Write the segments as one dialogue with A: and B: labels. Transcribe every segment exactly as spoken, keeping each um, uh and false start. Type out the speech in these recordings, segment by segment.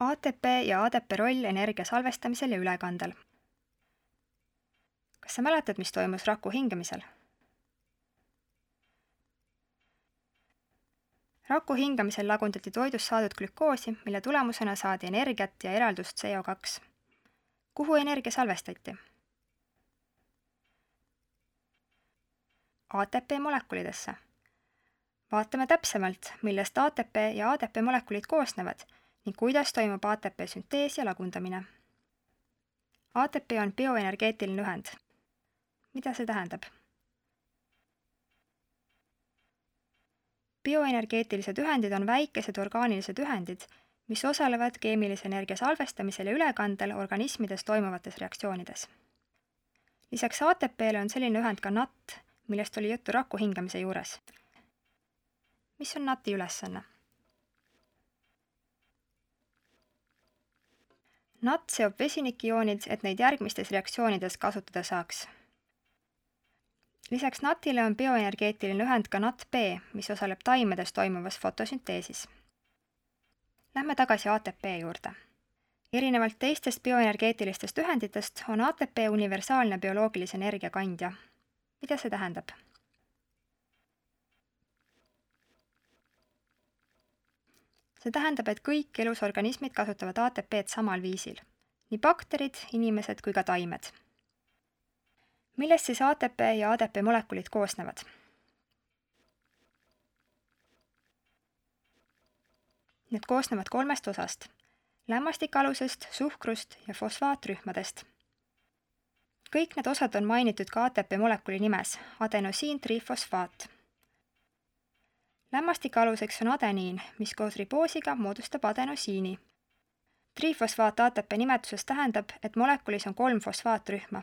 A: A T P ja A D P roll energia salvestamisel ja ülekandel. Kas sa mäletad, mis toimus raku hingamisel? Raku hingamisel lagundati toidust saadud glükoosi, mille tulemusena saadi energiat ja eraldust C O kaks. Kuhu energia salvestati? A T P molekulidesse. Vaatame täpsemalt, millest A T P ja A D P molekulid koosnevad ning kuidas toimub A T P süntees ja lagundamine. A T P on bioenergeetiline ühend. Mida see tähendab? Bioenergeetilised ühendid on väikesed orgaanilised ühendid, mis osalevad keemilise energia salvestamisel ja ülekandel organismides toimuvates reaktsioonides. Lisaks A T P-le on selline ühend ka N A T, millest oli juttu raku hingamise juures. Mis on N A T-i ülesanne? N A T seob vesinikioonid, et neid järgmistes reaktsioonides kasutada saaks. Lisaks N A T-ile on bioenergeetiline ühend ka N A T P, mis osaleb taimedes toimuvas fotosünteesis. Lähme tagasi A T P juurde. Erinevalt teistest bioenergeetilistest ühenditest on A T P universaalne bioloogilise energia kandja. Mida see tähendab? See tähendab, et kõik elusorganismid kasutavad A T P-d samal viisil. Nii bakterid, inimesed kui ka taimed. Millest siis A T P ja A D P molekulid koosnevad? Need koosnevad kolmest osast. Lämmastikalusest, suhkrust ja fosfaatrühmadest. Kõik need osad on mainitud ka A T P molekuli nimes, adenosiin-trifosfaat. Lämmastikaluseks on adeniin, mis koos riboosiga moodustab adenosiini. Trifosfaat A T P nimetuses tähendab, et molekulis on kolm fosfaatrühma.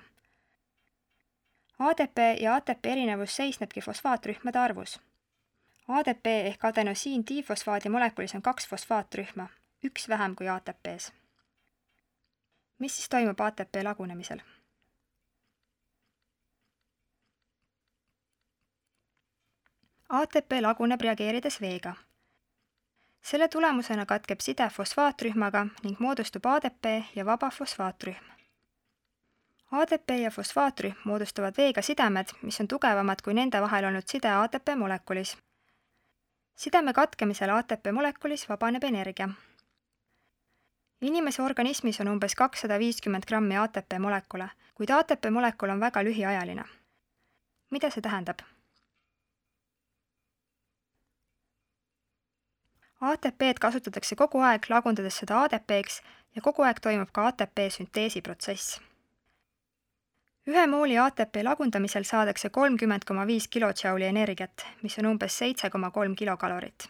A: A D P ja A T P erinevus seisnebki fosfaatrühmade arvus. A D P ehk adenosiin-difosfaadi molekulis on kaks fosfaatrühma, üks vähem kui A T P-s. Mis siis toimub A T P lagunemisel? A T P laguneb reageerides veega. Selle tulemusena katkeb side fosfaatrühmaga ning moodustub A D P ja vaba fosfaatrühm. A D P ja fosfaatrühm moodustavad veega sidemed, mis on tugevamad kui nende vahel olnud side A T P molekulis. Sideme katkemisel A T P molekulis vabaneb energia. Inimese organismis on umbes kakssada viiskümmend grammi A T P molekule, kuid A T P molekul on väga lühiajaline. Mida see tähendab? A T P-d kasutatakse kogu aeg, lagundades seda A D P-ks ja kogu aeg toimub ka A T P sünteesi protsess. Ühe mooli A T P lagundamisel saadakse kolmkümmend koma viis kilotšauli energiat, mis on umbes seitse koma kolm kilokalorit.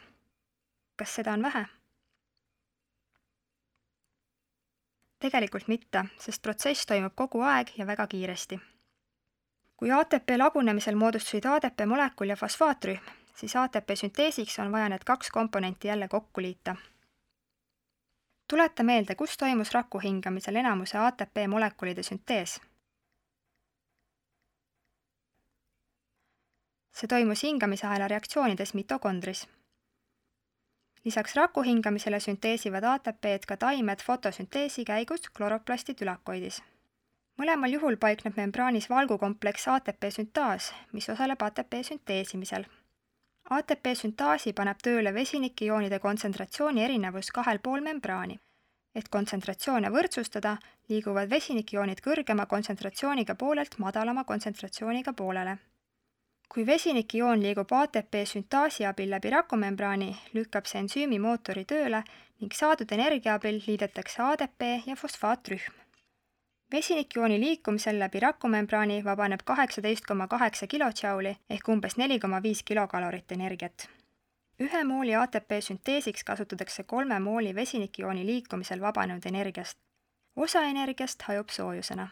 A: Kas seda on vähe? Tegelikult mitte, sest protsess toimub kogu aeg ja väga kiiresti. Kui A T P lagunemisel moodustusid A D P molekul ja fosfaatrühm, siis A T P sünteesiks on vaja need kaks komponenti jälle kokku liita. Tuleta meelde, kus toimus raku hingamisel enamuse A T P molekulide süntees. See toimus hingamisahela reaktsioonides mitokondris. Lisaks raku hingamisele sünteesivad A T P-d ka taimed fotosünteesi käigus kloroplasti tülakoidis. Mõlemal juhul paikneb membraanis valgukompleks A T P süntaas, mis osaleb A T P sünteesimisel. A T P süntaasi paneb tööle vesinikioonide kontsentratsiooni erinevus kahel pool membraani. Et kontsentratsioone võrdsustada, liiguvad vesinikioonid kõrgema kontsentratsiooniga poolelt madalama kontsentratsiooniga poolele. Kui vesinikioon liigub A T P süntaasi abil läbi rakumembraani, lükkab see ensüümi mootori tööle ning saadud energia abil liidetakse A D P ja fosfaatrühm. Vesinikiooni liikumisel läbi rakumembraani vabaneb kaheksateist koma kaheksa kilotšauli ehk umbes neli koma viis kilokalorit energiat. Ühe mooli A T P sünteesiks kasutatakse kolme mooli vesinikiooni liikumisel vabanenud energiast. Osa energiast hajub soojusena.